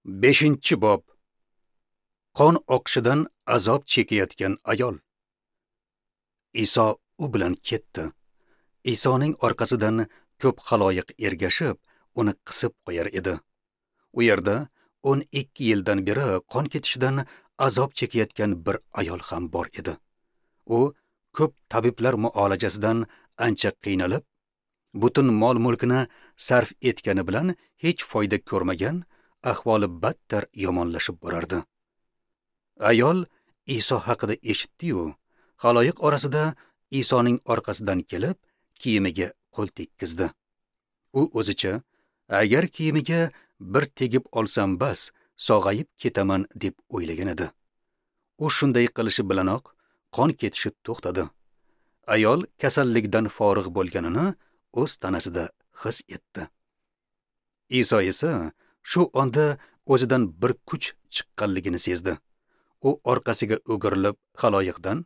5-bob. Qon oqishidan azob chekayotgan ayol. Iso u bilan ketdi. Isoning orqasidan ko'p xaloyiq ergashib, uni qisib qo'yar edi. U yerda 12 yildan beri qon ketishidan azob chekayotgan bir ayol ham bor edi. U ko'p tabiblar muolajasidan ancha qiynalib, butun mol-mulkini sarf etgani bilan hech foyda ko'rmagan, ahvoli battar yomonlashib borardi. Ayol Iso haqida eshitdi-yu, xaloyiq orasida Isoning orqasidan kelib, kiyimiga qo'l tekkizdi. U o'zicha, agar kiyimiga bir tegib olsam bas, sog'ayib ketaman deb o'ylagan edi. U shunday qilishi bilanoq qon ketishi to'xtadi. Ayol kasallikdan forig' bo'lganini o'z tanasida his etdi. Iso esa shu onda o'zidan bir kuch chiqqanligini sezdi. U orqasiga o'girilib xaloyiqdan: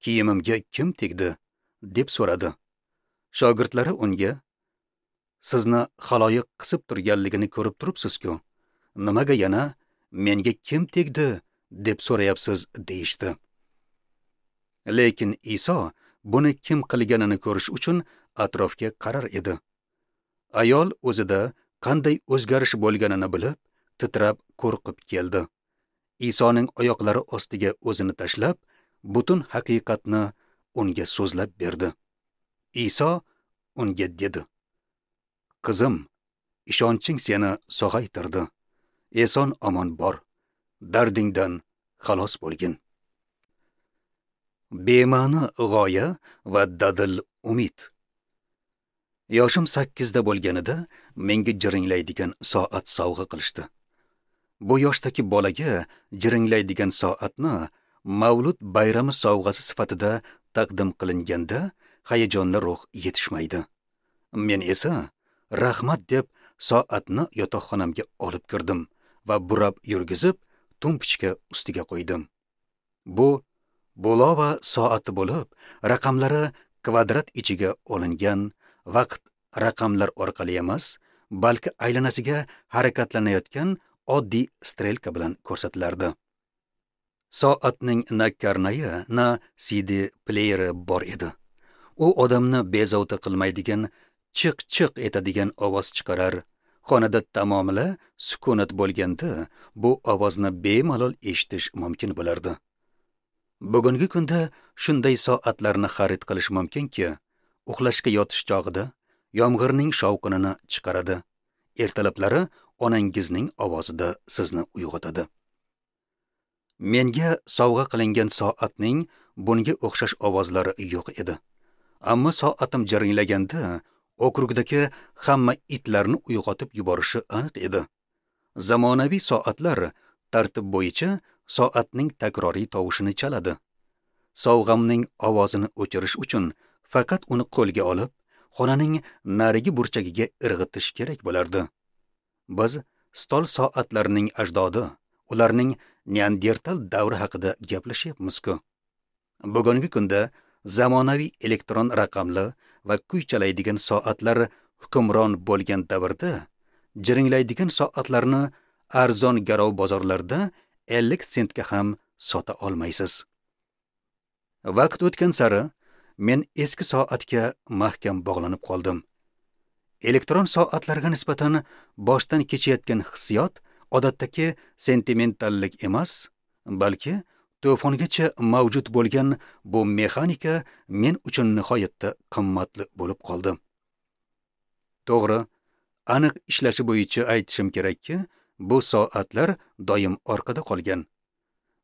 "Kiyimimga kim tegdi?" deb so'radi. Shogirdlari unga: "Sizni xaloyiq qisib turganligini ko'rib turibsiz-ku, nimaga yana menga kim tegdi deb so'rayapsiz?" deyishdi. Lekin Iso buni kim qilganini ko'rish uchun atrofga qarar edi. Ayol o'zida qanday o'zgarish bo'lganini bilib, titrab qo'rqib keldi. Isoning oyoqlari ostiga o'zini tashlab, butun haqiqatni unga so'zlab berdi. Iso unga dedi: "Qizim, ishonching seni sog'aytirdi. Eson omon bor, dardingdan xalos bo'lgin." Bema'ni g'oya va dadil umid. Yoshim 8 da bo'lganida menga jiringlaydigan soat sovg'a qilishdi. Bu yoshdagi bolaga jiringlaydigan soatni mavlud bayrami sovg'asi sifatida taqdim qilinganda hayajonli ruh yetishmaydi. Men esa rahmat deb soatni yotoqxonamga olib kirdim va burab yurgizib tumpichka ustiga qo'ydim. Bu Bulova soati bo'lib, raqamlari kvadrat ichiga olingan, vaqt raqamlar orqali emas, balki aylanasiga harakatlanayotgan oddiy strelka bilan ko'rsatilardi. Soatning na karnayi, na CD playeri bor edi. U odamni bezovta qilmaydigan, chiq-chiq etadigan ovoz chiqarar. Xonada tamomila sukunat bo'lganda bu ovozni bemalol eshitish mumkin bo'lardi. Bugungi kunda shunday soatlarni xarid qilish mumkinki, uxlashga yotish chog'ida yomg'irning shovqinini chiqaradi. Ertalablari onangizning ovozida sizni uyg'otadi. Menga sovg'a qilingan soatning bunga o'xshash ovozlari yo'q edi. Ammo soatim jiringlaganda okrugdagi hamma itlarni uyg'otib yuborishi aniq edi. Zamonaviy soatlar tartib bo'yicha soatning takroriy tovushini chaladi. Sovg'amning ovozini o'chirish uchun faqat uni qo'lga olib, xonaning narigi burchagiga irg'itish kerak bo'lardi. Biz stol soatlarining ajdodi, ularning Neandertal davri haqida gaplashyapmiz-ku. Bugungi kunda zamonaviy elektron raqamli va kuy chalaydigan soatlar hukmron bo'lgan davrda jiringlaydigan soatlarni arzon garov bozorlarda 50 sentga ham sota olmaysiz. Vaqt o'tgan sari men eski soatga mahkam bog'lanib qoldim. Elektron soatlarga nisbatan boshdan kechayotgan hissiyot odatdagi sentimentallik emas, balki to'fongacha mavjud bo'lgan bu mexanika men uchun nihoyatda qimmatli bo'lib qoldi. To'g'ri, aniq ishlashi bo'yicha aytishim kerakki, bu soatlar doim orqada qolgan.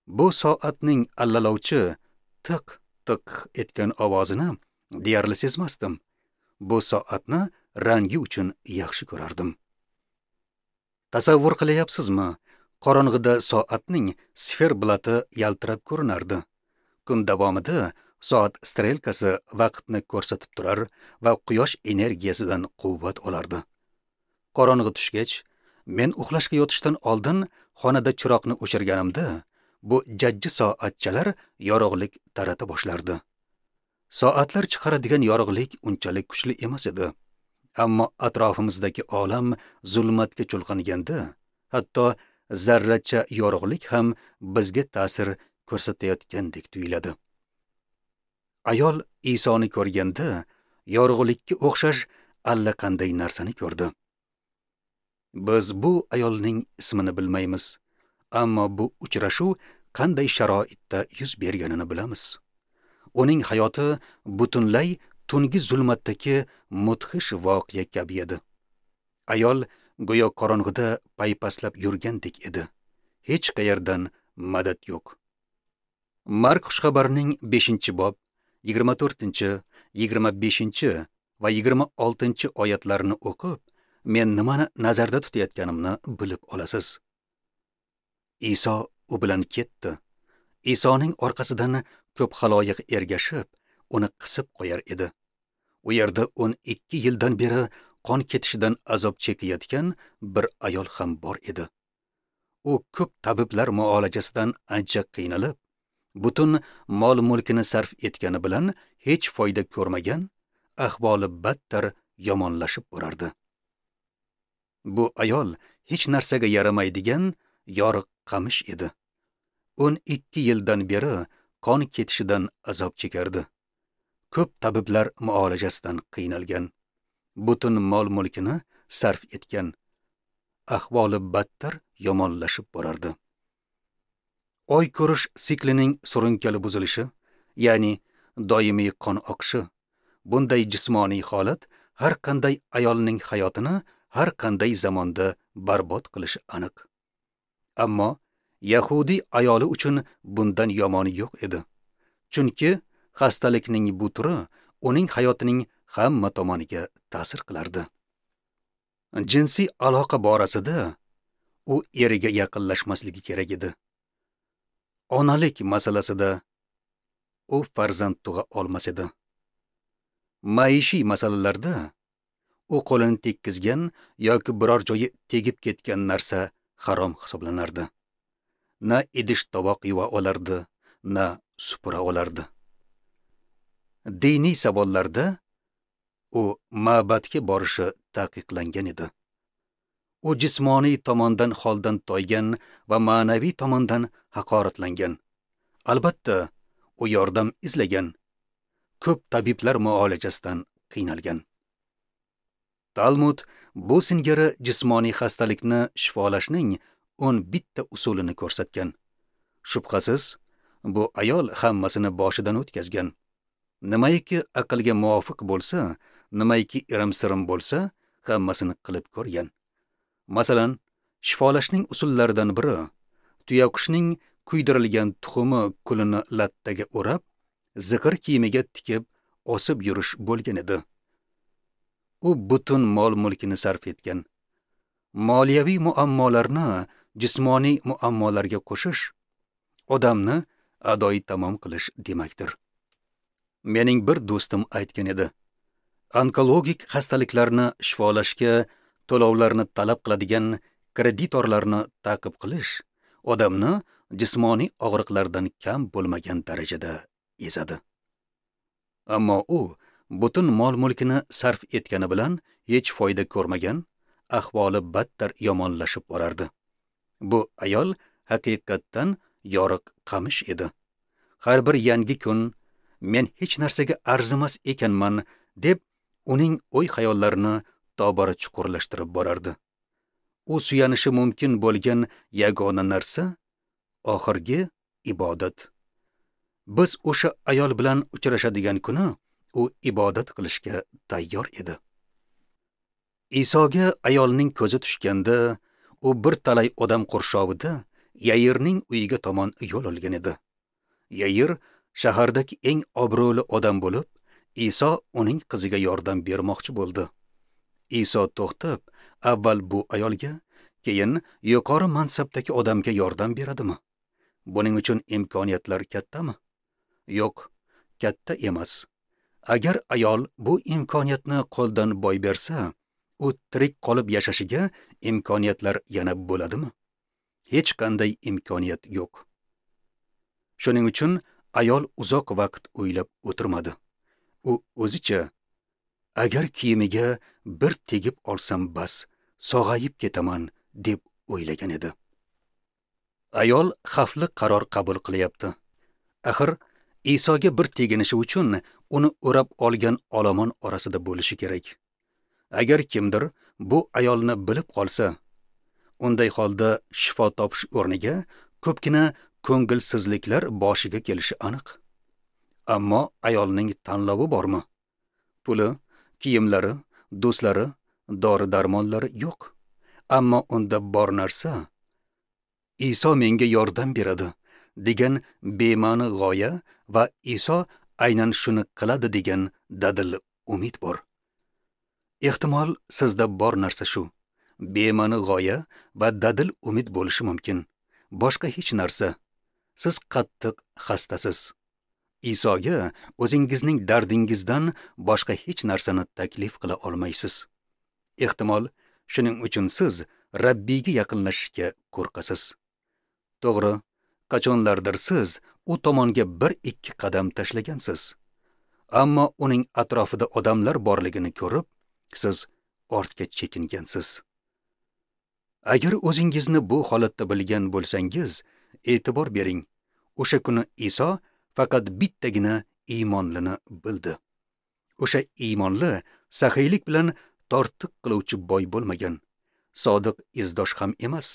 Bu soatning allalovchi tiq tiq etgan ovozini deyarli sezmasdim. Bu soatni rangi uchun yaxshi ko'rardim. Tasavvur qilyapsizmi? Qorong'ida soatning sferblati yaltirab ko'rinardi. Kun davomida soat strelkasi vaqtni ko'rsatib turar va quyosh energiyasidan quvvat olardi. Qorong'i tushgach, men uxlashga yotishdan oldin xonada chiroqni o'chirganimda, bu jajji soatchalar yorug'lik tarata boshlardi. Soatlar chiqaradigan yorug'lik unchalik kuchli emas edi. Ammo atrofimizdagi olam zulmatga chulqanganda, Hatto zarracha yorug'lik ham bizga ta'sir ko'rsatayotgandek tuyuladi. Ayol Isoni ko'rganda yorug'likka o'xshash allaqanday narsani ko'rdi. Biz bu ayolning ismini bilmaymiz, ammo bu uchrashuv qanday sharoitda yuz berganini bilamiz. Uning hayoti butunlay tungi zulmatdagi mudhish voqea kabi edi. Ayol go'yo qorong'ida paypaslab yurgandek edi. Hech qayerdan madad yo'q. Mark xushxabarining 5-bob 24, 25 va 26 oyatlarini o'qib, men nimani nazarda tutayotganimni bilib olasiz. Iso u bilan ketdi. Isoning orqasidan ko'p xaloyiq ergashib, uni qisib qo'yar edi. U yerda 12 yildan beri qon ketishidan azob chekayotgan bir ayol ham bor edi. U ko'p tabiblar muolajasidan ancha qiynalib, butun mol-mulkini sarf etgani bilan hech foyda ko'rmagan, ahvoli battar yomonlashib borardi. Bu ayol hech narsaga yaramaydigan yoriq qamish edi. 12 yildan beri qon ketishidan azob chekardi. Ko'p tabiblar muolajasidan qiynalgan, butun mol-mulkini sarf etgan, ahvoli battar yomonlashib borardi. Oy ko'rish siklining surunkali buzilishi, ya'ni doimiy qon oqishi, bunday jismoniy holat har qanday ayolning hayotini har qanday zamonda barbod qilishi aniq. Ammo yahudiy ayoli uchun bundan yomoni yo'q edi. Chunki xastalikning bu turi uning hayotining hamma tomoniga ta'sir qilardi. Jinsiy aloqa borasida u eriga yaqinlashmasligi kerak edi. Onalik masalasida u farzand tug'a olmas edi. Maishiy masalalarda u qo'lini tekkizgan yoki biror joyi tegib ketgan narsa harom hisoblanardi. Na idish tovoq yuva olardi, na supura olardi. Diniy savollarda u ma'badga borishi taqiqlangan edi. U jismoniy tomondan holdan toygan va ma'naviy tomondan haqoratlangan. Albatta, u yordam izlagan. Ko'p tabiblar muolajasidan qiynalgan. Talmud bu singari jismoniy xastalikni shifolashning 11 usulini ko'rsatgan. Shubhasiz, bu ayol hammasini boshidan o'tkazgan. Nimaiki aqlga muvofiq bo'lsa, nimaiki irim-sirim bo'lsa, hammasini qilib ko'rgan. Masalan, shifolashning usullaridan biri tuyaqushning kuydirilgan tuxumi kulini lattaga o'rab, ziqir kiyimiga tikib osib yurish bo'lgan edi. U butun mol-mulkini sarf etgan. Moliyaviy muammolarni jismoniy muammolarga qo'shish odamni adoyi tamom qilish demakdir. Mening bir do'stim aytgan edi: onkologik xastaliklarni shifolashga to'lovlarni talab qiladigan kreditorlarni ta'qib qilish odamni jismoniy og'riqlardan kam bo'lmagan darajada ezadi. Ammo u butun mol-mulkini sarf etgani bilan hech foyda ko'rmagan, ahvoli battar yomonlashib borardi. Bu ayol haqiqatdan yoriq qamish edi. Har bir yangi kun men hech narsaga arzimas ekanman deb uning o'y-xayollarini tobora chuqurlashtirib borardi. U suyanishi mumkin bo'lgan yagona narsa oxirgi ibodat. Biz o'sha ayol bilan uchrashadigan kuni u ibodat qilishga tayyor edi. Isoga ayolning ko'zi tushganda, u bir talay odam qurshovida Yairning uyiga tomon yo'l olgan edi. Yair shahardagi eng obro'li odam bo'lib, Iso uning qiziga yordam bermoqchi bo'ldi. Iso to'xtab, avval bu ayolga, keyin yuqori mansabdagi odamga yordam beradimi? Buning uchun imkoniyatlar kattami? Yo'q, katta emas. Agar ayol bu imkoniyatni qo'ldan boy bersa, u tirik qolib yashashiga imkoniyatlar yana bo'ladimi? Hech qanday imkoniyat yo'q. Shuning uchun ayol uzoq vaqt o'ylab o'tirmadi. U o'zicha, agar kiyimiga bir tegib olsam bas, sog'ayib ketaman deb o'ylagan edi. Ayol xavfli qaror qabul qilyapti. Axir Isoga bir teginishi uchun uni o'rab olgan olomon orasida bo'lishi kerak. Agar kimdir bu ayolni bilib qolsa, unday holda shifo topish o'rniga ko'pgina ko'ngilsizliklar boshiga kelishi aniq. Ammo ayolning tanlovi bormi? Puli, kiyimlari, do'stlari, dori-darmonlari yo'q. Ammo unda bor narsa Iso menga yordam beradi degan bema'ni g'oya va Iso aynan shuni qiladi degan dadil umid bor. Ehtimol sizda bor narsa shu. Bema'ni g'oya va dadil umid bo'lishi mumkin. Boshqa hech narsa. Siz qattiq xastasiz. Isoga o'zingizning dardingizdan boshqa hech narsani taklif qila olmaysiz. Ehtimol shuning uchun siz Rabbiyga yaqinlashishga qo'rqasiz. To'g'ri, qachonlardir siz u tomonga 1-2 qadam tashlagansiz. Ammo uning atrofida odamlar borligini ko'rib, siz ortga chekingansiz. Agar o'zingizni bu holatda bilgan bo'lsangiz, e'tibor bering. O'sha kuni Iso faqat bittagina iymonlini bildi. O'sha iymonli saxiylik bilan tortiq qiluvchi boy bo'lmagan, sodiq izdosh ham emas.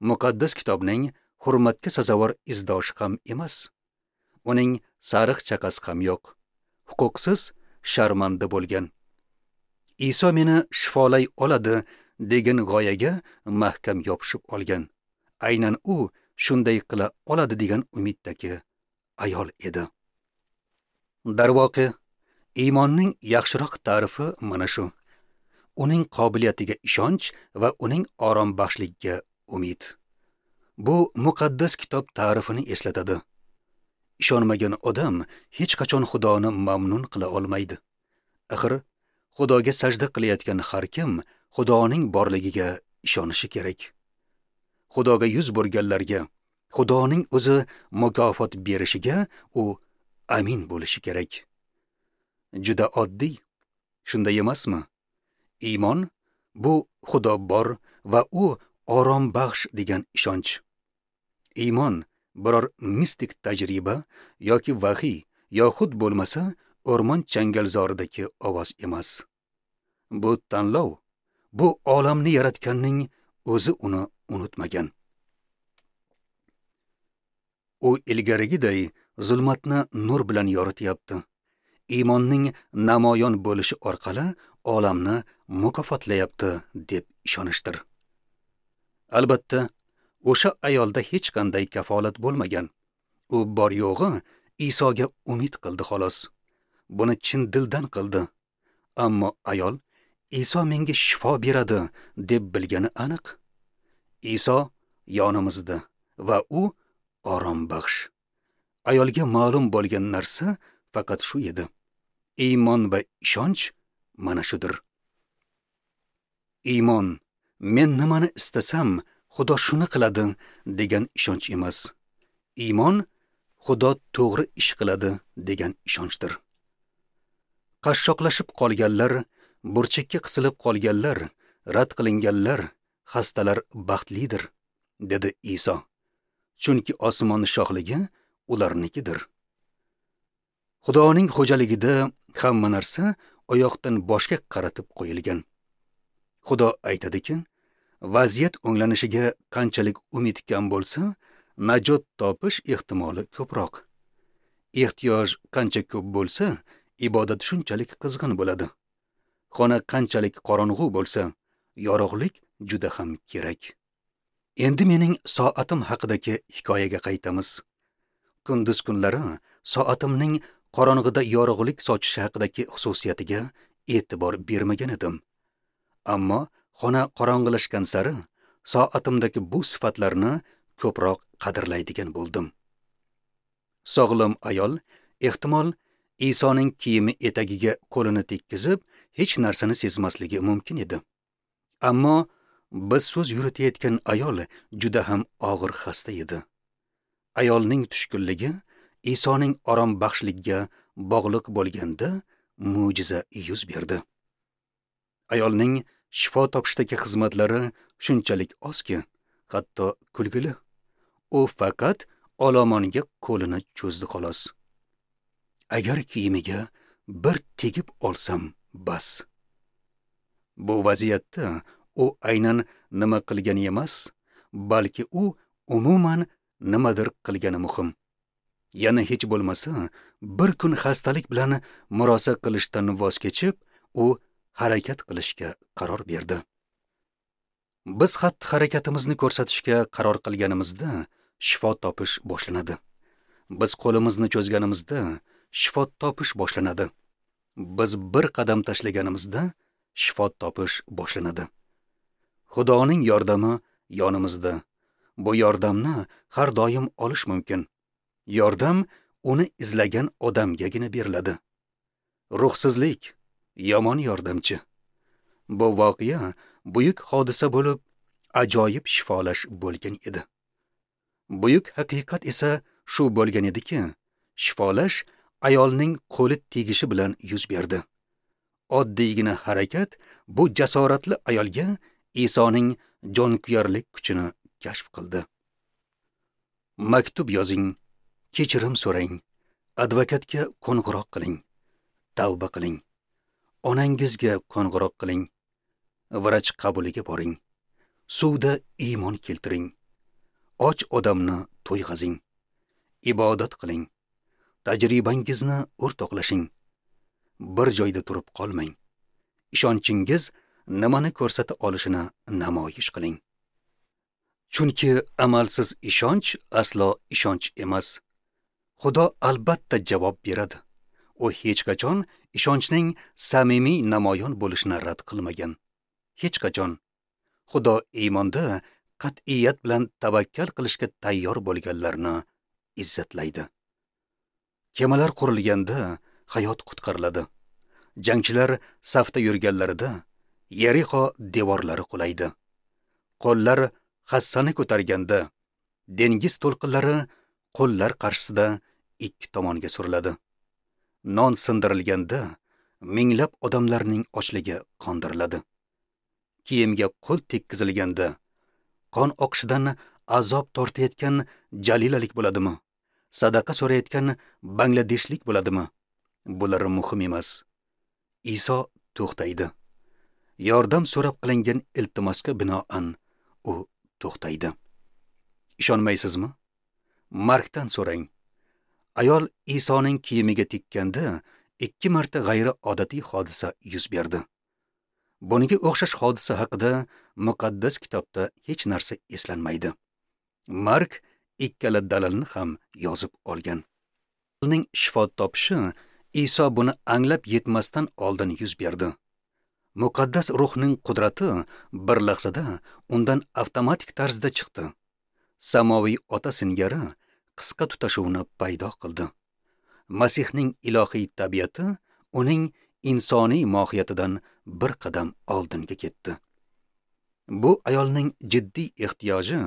Muqaddas kitobning hurmatga sazovor izdoshi ham emas. Uning sariq chaqasi ham yo'q. Huquqsiz, sharmanda bo'lgan. Iso meni shifolay oladi degan g'oyaga mahkam yopishib olgan. Aynan u shunday qila oladi degan umiddagi ayol edi. Darvoqe, iymonning yaxshiroq ta'rifi mana shu. Uning qobiliyatiga ishonch va uning orombaxshligiga umid. Bu muqaddas kitob ta'rifini eslatadi. Ishonmagan odam hech qachon Xudoni mamnun qila olmaydi. Axir Xudoga sajda qilayotgan har kim Xudoning borligiga ishonishi kerak. Xudoga yuz burganlarga Xudoning o'zi mukofot berishiga u amin bo'lishi kerak. Juda oddiy, shunday emasmi? Iymon bu Xudo bor va u orombaxsh degan ishonch. Iymon biror mistik tajriba yoki vahiy yoxud bo'lmasa o'rmon changalzoridagi ovoz emas. Bu tanlov, bu olamni yaratganning o'zi uni unutmagan. U ilgarigiday zulmatni nur bilan yorityapti. Iymonning namoyon bo'lishi orqali olamni mukofotlayapti deb ishonishdir. Albatta, o'sha ayolda hech qanday kafolat bo'lmagan. U bor yo'g'i Isoga umid qildi xolos. Buni chin dildan qildi. Ammo ayol Iso menga shifo beradi deb bilgani aniq. Iso yonimizda va u orombaxsh. Ayolga ma'lum bo'lgan narsa faqat shu edi. Iymon va ishonch mana shudir. Iymon, men nimani istasam, Xudo shuni qiladi degan ishonch emas. Iymon, Xudo to'g'ri ish qiladi degan ishonchdir. Qashshoqlashib qolganlar, burchakka qisilib qolganlar, rad qilinganlar, xastalar baxtlidir, dedi Iso. Chunki osmon shohligi ularnikidir. Xudoning xo'jaligida hamma narsa oyoqdan boshga qaratib qo'yilgan. Xudo aytadiki, vaziyat o'nglanishiga qanchalik umid kam bo'lsa, najot topish ehtimoli ko'proq. Ehtiyoj qancha ko'p bo'lsa, ibodat shunchalik qizg'in bo'ladi. Xona qanchalik qorong'u bo'lsa, yorug'lik juda ham kerak. Endi mening soatim haqidagi hikoyaga qaytamiz. Kunduz kunlari soatimning qorong'ida yorug'lik sochishi haqidagi xususiyatiga e'tibor bermagan edim. Ammo xona qorong'ilashgan sari soatimdagi bu sifatlarni ko'proq qadrlaydigan bo'ldim. Sog'lom ayol ehtimol Isoning kiyimi etagiga qo'lini tekkizib, hech narsani sezmasligi mumkin edi. Ammo biz so'z yuritayotgan ayol juda ham og'ir xasta edi. Ayolning tushkunligi Isoning orombaxshligiga bog'liq bo'lganda mo'jiza yuz berdi. Ayolning Shifo topishdagi xizmatlari shunchalik ozki, hatto kulgili. U faqat olomonga qo'lini cho'zdi xolos. Agar kiyimiga bir tegib olsam bas. Bu vaziyatda u aynan nima qilgani emas, balki u umuman nimadir qilgani muhim. Yana hech bo'lmasa, bir kun xastalik bilan murosa qilishdan voz kechib, u harakat qilishga qaror berdi. Biz xatti-harakatimizni ko'rsatishga qaror qilganimizda shifo topish boshlanadi. Biz qo'limizni cho'zganimizda shifo topish boshlanadi. Biz bir qadam tashlaganimizda shifo topish boshlanadi. Xudoning yordami yonimizda. Bu yordamni har doim olish mumkin. Yordam uni izlagan odamgagina beriladi. Ruhsizlik yomon yordamchi. Bu voqea buyuk hodisa bo'lib, ajoyib shifolash bo'lgan edi. Buyuk haqiqat esa shu bo'lgan ediki, shifolash ayolning qo'li tegishi bilan yuz berdi. Oddiygina harakat bu jasoratli ayolga Isoning jonkuyarlik kuchini kashf qildi. Maktub yozing, kechirim so'rang, advokatga qo'ng'iroq qiling, tavba qiling, onangizga qo'ng'iroq qiling, vrach qabuliga boring, suvda iymon keltiring, och odamni to'yg'azing, ibodat qiling, tajribangizni o'rtoqlashing, bir joyda turib qolmang, ishonchingiz nimani ko'rsata olishini namoyish qiling. Chunki amalsiz ishonch aslo ishonch emas. Xudo albatta javob beradi. U hech qachon ishonchning samimiy namoyon bo'lishini rad qilmagan. Hech qachon. Xudo iymonda qat'iyat bilan tavakkal qilishga tayyor bo'lganlarni izzatlaydi. Kemalar qurilganda hayot qutqariladi. Jangchilar safda yurganlarida Yerixo devorlari qulaydi. Qo'llar hassani ko'targanda dengiz to'lqinlari qo'llar qarshisida ikki tomonga suriladi. Non sindirilganda minglab odamlarning ochligi qondiriladi. Kiyimga qo'l tekkizilganda qon oqishidan azob tortayotgan jalilalik bo'ladimi? Sadaqa so'rayotgan bangladeshlik bo'ladimi? Bular muhim emas. Iso to'xtaydi. Yordam so'rab qilingan iltimosga binoan u to'xtaydi. Ishonmaysizmi? Markdan so'rang. Ayol Isoning kiyimiga tekkanda 2 marta g'ayriodatiy hodisa yuz berdi. Bunga o'xshash hodisa haqida muqaddas kitobda hech narsa eslanmaydi. Mark ikkala dalilni ham yozib olgan. Uning shifo topishi Iso buni anglab yetmasdan oldin yuz berdi. Muqaddas ruhning qudrati bir lahzada undan avtomatik tarzda chiqdi. Samoviy ota singari qisqa tutashuvni paydo qildi. Masihning ilohiy tabiati uning insoniy mohiyatidan bir qadam oldinga ketdi. Bu ayolning jiddiy ehtiyoji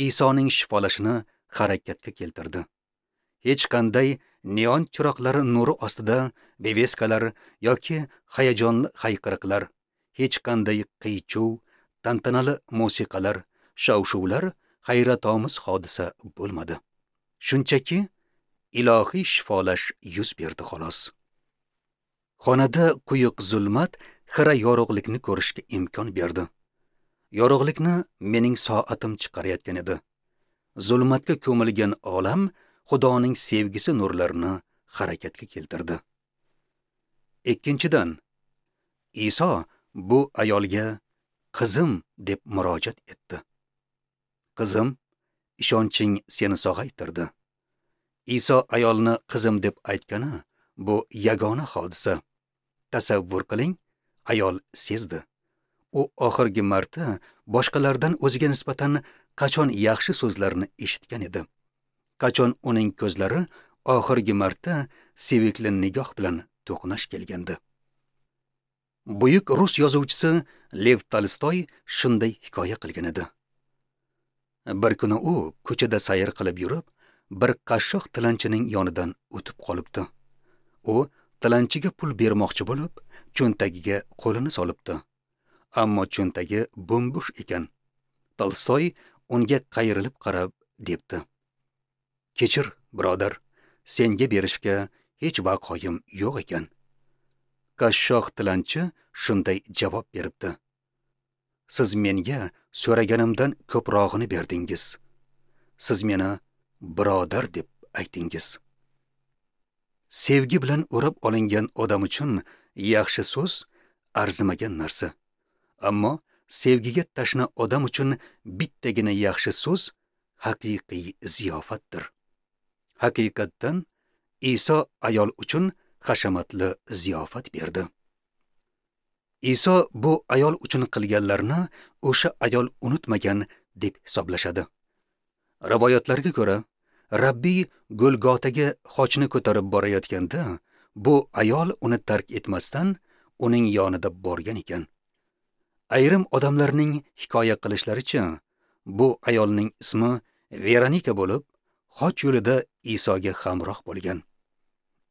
Isoning shifolashini harakatga keltirdi. Hech qanday neon chiroqlari nuri ostida beveskalar yoki hayajonli hayqiriqlar, hech qanday qiy-chuv, tantanali musiqalar, shov-shuvlar hayratomuz hodisa bo'lmadi. Shunchaki ilohiy shifolash yuz berdi xolos. Xonada quyuq zulmat xira yorug'likni ko'rishga imkon berdi. Yorug'likni mening soatim chiqarayotgan edi. Zulmatga ko'milgan olam Xudoning sevgisi nurlarini harakatga keltirdi. Ikkinchidan, Iso bu ayolga qizim deb murojaat etdi. Qizim, ishonching seni sog'aytirdi. Iso ayolni qizim deb aytgani bu yagona hodisa. Tasavvur qiling, ayol sezdi. U oxirgi marta boshqalardan o'ziga nisbatan qachon yaxshi so'zlarni eshitgan edi. Qachon uning ko'zlari oxirgi marta sevikli nigoh bilan to'qnash kelgandi. Buyuk rus yozuvchisi Lev Tolstoy shunday hikoya qilgan edi. Bir kuni u ko'chada sayr qilib yurib, bir qashshoq tilanchining yonidan o'tib qolibdi. U tilanchiga pul bermoqchi bo'lib, cho'ntagiga qo'lini solibdi. Ammo cho'ntagi bo'm-bo'sh ekan. Tolstoy unga qayrilib qarab debdi: "Kechir, birodar, senga berishga hech vaqoyim yo'q ekan." Qashshoq tilanchi shunday javob beribdi: "Siz menga so'raganimdan ko'prog'ini berdingiz. Siz meni birodar deb aytingiz." Sevgi bilan o'rab olingan odam uchun yaxshi so'z arzimagan narsa. Ammo sevgiga tashna odam uchun bittagina yaxshi so'z haqiqiy ziyofatdir. Haqiqatdan Iso ayol uchun hashamatli ziyofat berdi. Iso bu ayol uchun qilganlarini o'sha ayol unutmagan deb hisoblashadi. Rivoyatlarga ko'ra, Rabbiy Golgotaga xochni ko'tarib borayotganda bu ayol uni tark etmasdan uning yonida borgan ekan. Ayrim odamlarning hikoya qilishlaricha, bu ayolning ismi Veronika bo'lib, xoch yo'lida Isoga hamroh bo'lgan.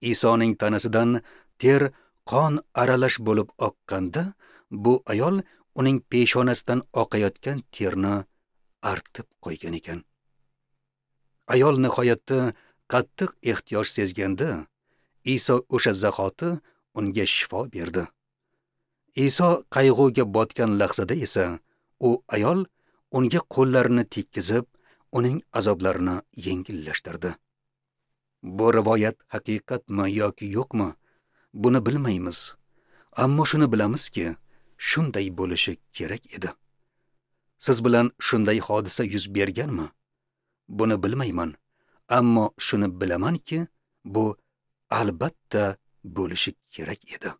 Isoning tanasidan ter qon aralash bo'lib oqqanda, bu ayol uning peshonasidan oqayotgan terni artib qo'ygan ekan. Ayol nihoyatda qattiq ehtiyoj sezganda, Iso o'sha zahoti unga shifo berdi. Iso qayg'uga botgan lahzada esa u ayol unga qo'llarini tekkizib, uning azoblarini yengillashtirdi. Bu rivoyat haqiqatmi yoki yo'qmi, buni bilmaymiz. Ammo shuni bilamizki, shunday bo'lishi kerak edi. Siz bilan shunday hodisa yuz berganmi? Buni bilmayman, ammo shuni bilamanki, bu albatta bo'lishi kerak edi.